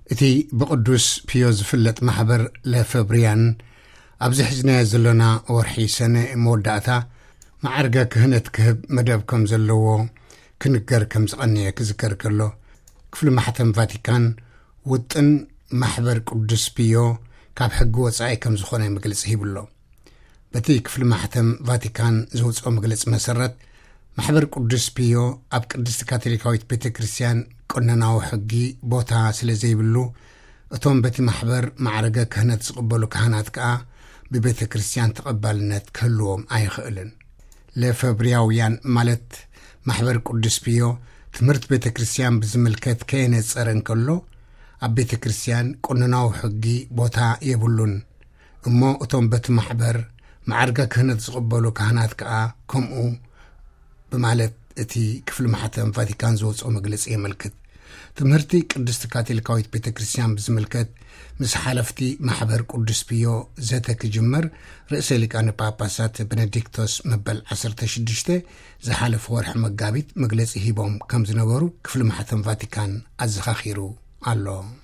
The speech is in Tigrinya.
እቲ ብቅዱስ ፒዮ ዝፍለጥ ማሕበር ለፈብሪያን ኣብዚ ሕዝናዮ ዘለና ወርሒ ሰነ መወዳእታ ማዕርገ ክህነት ክህብ መደብ ከም ዘለዎ ክንገር ከም ዝቐነየ ክዝከር ከሎ፣ ክፍሊ ማሕተም ቫቲካን ውጥን ማሕበር ቅዱስ ፒዮ ካብ ሕጊ ወጻኢ ከም ዝኾነ መግለጺ ሂብሎ። በቲ ክፍሊ ማሕተም ቫቲካን ዘውጽኦ መግለጺ መሰረት፣ ማሕበር ቅዱስ ፒዮ ኣብ ቅድስቲ ካቶሊካዊት ቤተ ክርስቲያን ቀኖናዊ ሕጊ ቦታ ስለ ዘይብሉ፣ እቶም በቲ ማሕበር ማዕረገ ክህነት ዝቕበሉ ካህናት ከኣ ብቤተ ክርስቲያን ተቐባልነት ክህልዎም ኣይኽእልን። ለፈብሪያውያን ማለት ማሕበር ቅዱስ ፒዮ ትምህርቲ ቤተ ክርስቲያን ብዝምልከት ከየነጸረ እንከሎ፣ ኣብ ቤተ ክርስቲያን ቀኖናዊ ሕጊ ቦታ የብሉን። እሞ እቶም በቲ ማሕበር ማዕርገ ክህነት ዝቕበሉ ካህናት ከኣ ከምኡ ብማለት እቲ ክፍሊ ማሕተም ቫቲካን ዝወጽኦ መግለጺ የመልክት። ትምህርቲ ቅድስቲ ካቶሊካዊት ቤተ ክርስቲያን ብዝምልከት ምስ ሓለፍቲ ማሕበር ቅዱስ ፒዮ ዘተ ክጅመር ርእሰ ሊቃነ ጳጳሳት ቤኔዲክቶስ መበል ዓሰርተ ሽዱሽተ ዝሓለፈ ወርሒ መጋቢት መግለጺ ሂቦም ከም ዝነበሩ ክፍሊ ማሕተም ቫቲካን ኣዘኻኺሩ ኣሎ።